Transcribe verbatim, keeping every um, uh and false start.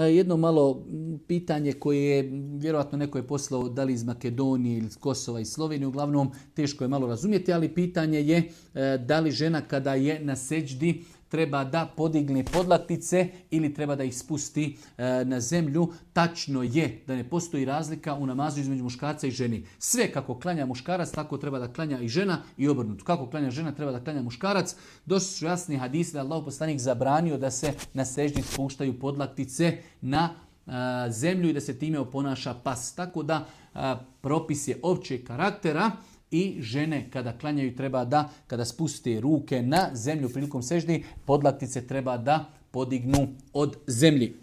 jedno malo pitanje koje je vjerojatno neko je poslao da li iz Makedonije ili iz Kosova i Slovenije, uglavnom teško je malo razumjeti, ali pitanje je da li žena kada je na seđdi treba da podigne podlaktice ili treba da ih spusti e, na zemlju. Tačno je da ne postoji razlika u namazu između muškarca i ženi. Sve kako klanja muškarac, tako treba da klanja i žena i obrnuto. Kako klanja žena, treba da klanja muškarac. Došli su jasni hadisi da Allahov poslanik zabranio da se na seždi spuštaju podlaktice na a, zemlju i da se time oponaša pas. Tako da a, propis je općeg karaktera. I žene kada klanjaju treba da, kada spuste ruke na zemlju prilikom seždi, podlaktice treba da podignu od zemlji.